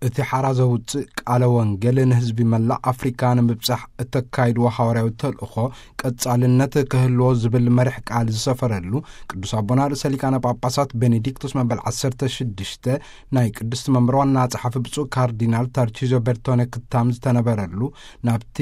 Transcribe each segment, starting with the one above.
እቲ ሓራ ዘውፅእ ቃለ ወንጌል ንህዝቢ መላእ ኣፍሪካ ንምብጻሕ እተካይድዎ ሓዋርያዊ ተልእኾ ቀጻልነት ክህልዎ ዝብል መርሕ ቃል ዝሰፈረሉ፣ ቅዱስ ኣቦና ርእሰ ሊቃነ ጳጳሳት ቤኔዲክቶስ መበል ዓሰርተ ሽዱሽተ ናይ ቅድስቲ መንበር ዋና ጸሓፊ ብፁዕ ካርዲናል ታርቺዞ ቤርቶነ ክታም ዝተነበረሉ፣ ናብቲ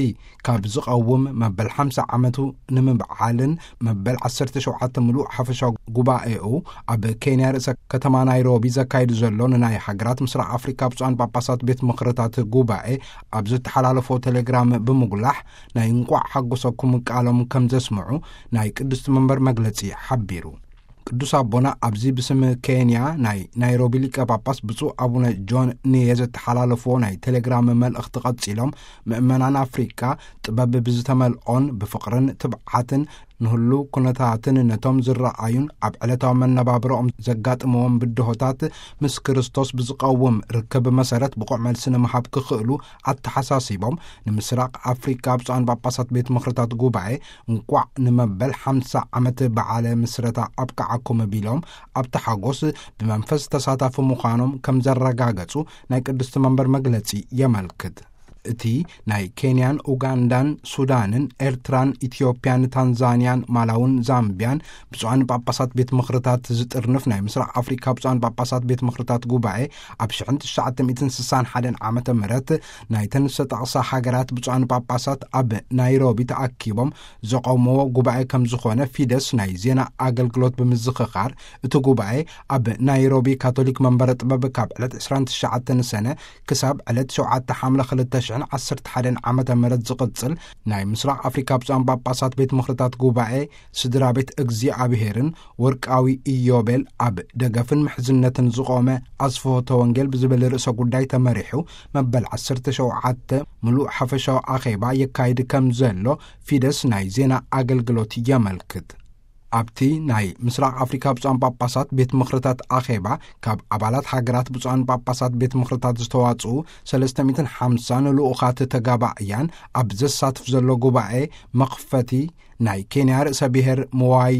ካብ ዝቐውም መበል ሓምሳ ዓመቱ ንምብዓልን መበል ዓሰርተ ሸውዓተ ምሉእ ሓፈሻዊ ጉባኤኡ ኣብ ኬንያ ርእሰ ከተማ ናይሮቢ ዘካይዱ ዘሎ ንናይ ሃገራት ምስራቅ ኣፍሪካ ብፁዓን ጳጳሳት ቤት ምኽርታት ጉባኤ ኣብ ዝተሓላለፎ ቴሌግራም ብምጉላሕ፣ ናይ እንቋዕ ሓጎሰኩም ቃሎም ከም ዘስምዑ ናይ ቅድስቲ መንበር መግለጺ ሓቢሩ። ቅዱስ ኣቦና ኣብዚ ብስም ኬንያ ናይ ናይሮቢ ሊቀ ጳጳስ ብፁዕ ኣቡነ ጆን ንየ ዘተሓላለፍዎ ናይ ቴሌግራም መልእኽቲ ቀጺሎም፣ ምእመናን ኣፍሪቃ ጥበብ ብዝተመልኦን ብፍቕርን ትብዓትን ንህሉ ኩነታትን ነቶም ዝረኣዩን ኣብ ዕለታዊ መነባብሮኦም ዘጋጥምዎም ብድሆታት ምስ ክርስቶስ ብዝቐውም ርክብ መሰረት ብቑዕ መልሲ ንምሃብ ክኽእሉ ኣተሓሳሲቦም፣ ንምስራቕ ኣፍሪቃ ብፁዓን ጳጳሳት ቤት ምኽርታት ጉባኤ እንቋዕ ንመበል ሓምሳ ዓመት በዓለ ምስረታ ኣብቅዓኩም ቢሎም፣ ኣብቲ ሓጎስ ብመንፈስ ተሳታፊ ምዃኖም ከም ዘረጋገጹ ናይ ቅድስቲ መንበር መግለጺ የመልክት። እቲ ናይ ኬንያን ኡጋንዳን ሱዳንን ኤርትራን ኢትዮጵያን ታንዛንያን ማላውን ዛምቢያን ብፁዓን ጳጳሳት ቤት ምኽርታት ዝጥርንፍ ናይ ምስራቅ ኣፍሪካ ብፁዓን ጳጳሳት ቤት ምኽርታት ጉባኤ፣ ኣብ ሽሕን ትሽዓተ ሚእትን ስሳን ሓደን ዓመተ ምህረት ናይተን ዝተጠቕሳ ሃገራት ብፁዓን ጳጳሳት ኣብ ናይሮቢ ተኣኪቦም ዘቐውምዎ ጉባኤ ከም ዝኾነ ፊደስ ናይ ዜና ኣገልግሎት ብምዝኽኻር፣ እቲ ጉባኤ ኣብ ናይሮቢ ካቶሊክ መንበረ ጥበብ ካብ ዕለት ዕስራን ትሽዓተን ሰነ ክሳብ ዕለት ሸውዓተ ሓምለ ክልተ ሽሕን ዓሰርተ ሓደን ዓመተ ምህረት ዝቕጽል ናይ ምስራቕ ኣፍሪካ ብፁዓን ጳጳሳት ቤት ምኽርታት ጉባኤ ስድራ ቤት እግዚኣብሄርን ወርቃዊ ኢዮቤል ኣብ ደገፍን ምሕዝነትን ዝቖመ ኣስፍሆተ ወንጌል ብዝብል ርእሰ ጉዳይ ተመሪሑ መበል ዓሰርተ ሸውዓተ ምሉእ ሓፈሻዊ ኣኼባ የካይድ ከም ዘሎ ፊደስ ናይ ዜና ኣገልግሎት የመልክት። ኣብቲ ናይ ምስራቕ ኣፍሪካ ብፁዓን ጳጳሳት ቤት ምኽርታት ኣኼባ ካብ ኣባላት ሃገራት ብፁዓን ጳጳሳት ቤት ምኽርታት ዝተዋጽኡ ሰለስተ ሚእትን ሓምሳን ልኡኻት ተጋባእያን ኣብ ዘሳትፍ ዘሎ ጉባኤ መኽፈቲ ናይ ኬንያ ርእሰ ብሔር ምዋይ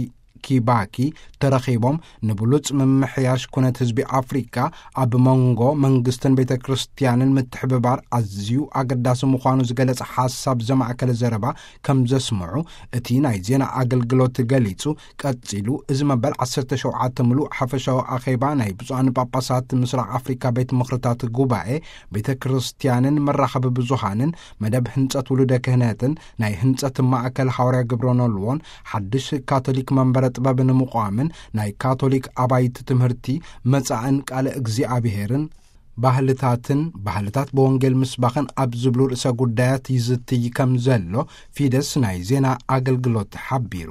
ኪባኪ ተረኺቦም፣ ንብሉጽ ምምሕያሽ ኩነት ህዝቢ ኣፍሪካ ኣብ መንጎ መንግስትን ቤተ ክርስቲያንን ምትሕብባር ኣዝዩ ኣገዳሲ ምዃኑ ዝገለጸ ሓሳብ ዘማእከለ ዘረባ ከም ዘስምዑ እቲ ናይ ዜና ኣገልግሎት ገሊጹ። ቀጺሉ፣ እዚ መበል ዓሰርተ ሸውዓተ ምሉእ ሓፈሻዊ ኣኼባ ናይ ብፁዓን ጳጳሳት ምስራቕ ኣፍሪካ ቤት ምኽርታት ጉባኤ ቤተ ክርስቲያንን መራኸቢ ብዙሃንን መደብ ህንጸት ውሉደ ክህነትን ናይ ህንጸት ማእከል ሓዋርያ ግብረ ኖልዎን ሓድሽ ካቶሊክ መንበረ ጥበብ ንምቋምን ናይ ካቶሊክ ኣባይቲ ትምህርቲ መጻእን ቃለ እግዚኣብሄርን ባህልታትን ባህልታት ብወንጌል ምስባኽን ኣብ ዝብሉ ርእሰ ጉዳያት ይዝትይ ከም ዘሎ ፊደስ ናይ ዜና ኣገልግሎት ሓቢሩ።